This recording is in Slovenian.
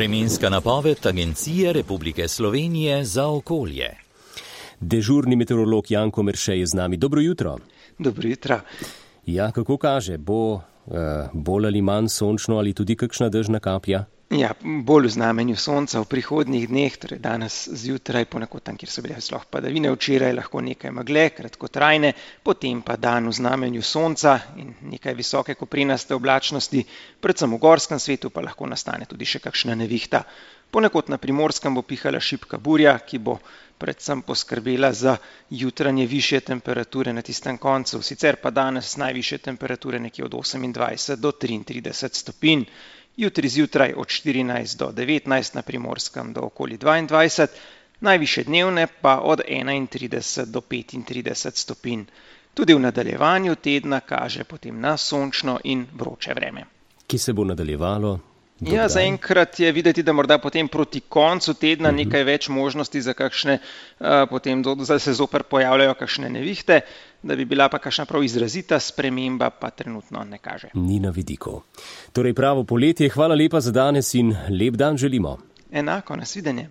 Vremenska napoved Agencije Republike Slovenije za okolje. Dežurni meteorolog Janko Merše je z nami. Dobro jutro. Dobro jutro. Ja, kako kaže, bo bolj ali manj sončno ali tudi kakšna dežna kaplja? Ja, bolj v znamenju sonca v prihodnjih dneh, torej danes zjutraj, ponekod tam, kjer so bile sploh padavine, včeraj lahko nekaj megle, kratkotrajne, potem pa dan v znamenju sonca in nekaj visoke koprenaste oblačnosti, predvsem v gorskem svetu pa lahko nastane tudi še kakšna nevihta. Ponekod na Primorskem bo pihala šibka burja, ki bo predvsem poskrbela za jutranje višje temperature na tistem koncu, sicer pa danes najvišje temperature nekje od 28 do 33 stopinj. Jutri zjutraj od 14 do 19, na Primorskem do okoli 22, najvišje dnevne pa od 31 do 35 stopinj. Tudi v nadaljevanju tedna kaže potem na sončno in vroče vreme. Ki se bo nadaljevalo? Ja, zaenkrat je videti, da morda potem proti koncu tedna nekaj več možnosti za kakšne, potem da se zopet pojavljajo kakšne nevihte, da bi bila pa kakšna prav izrazita sprememba, pa trenutno ne kaže. Ni na vidiku. Torej pravo poletje, hvala lepa za danes in lep dan želimo. Enako, nasvidenje.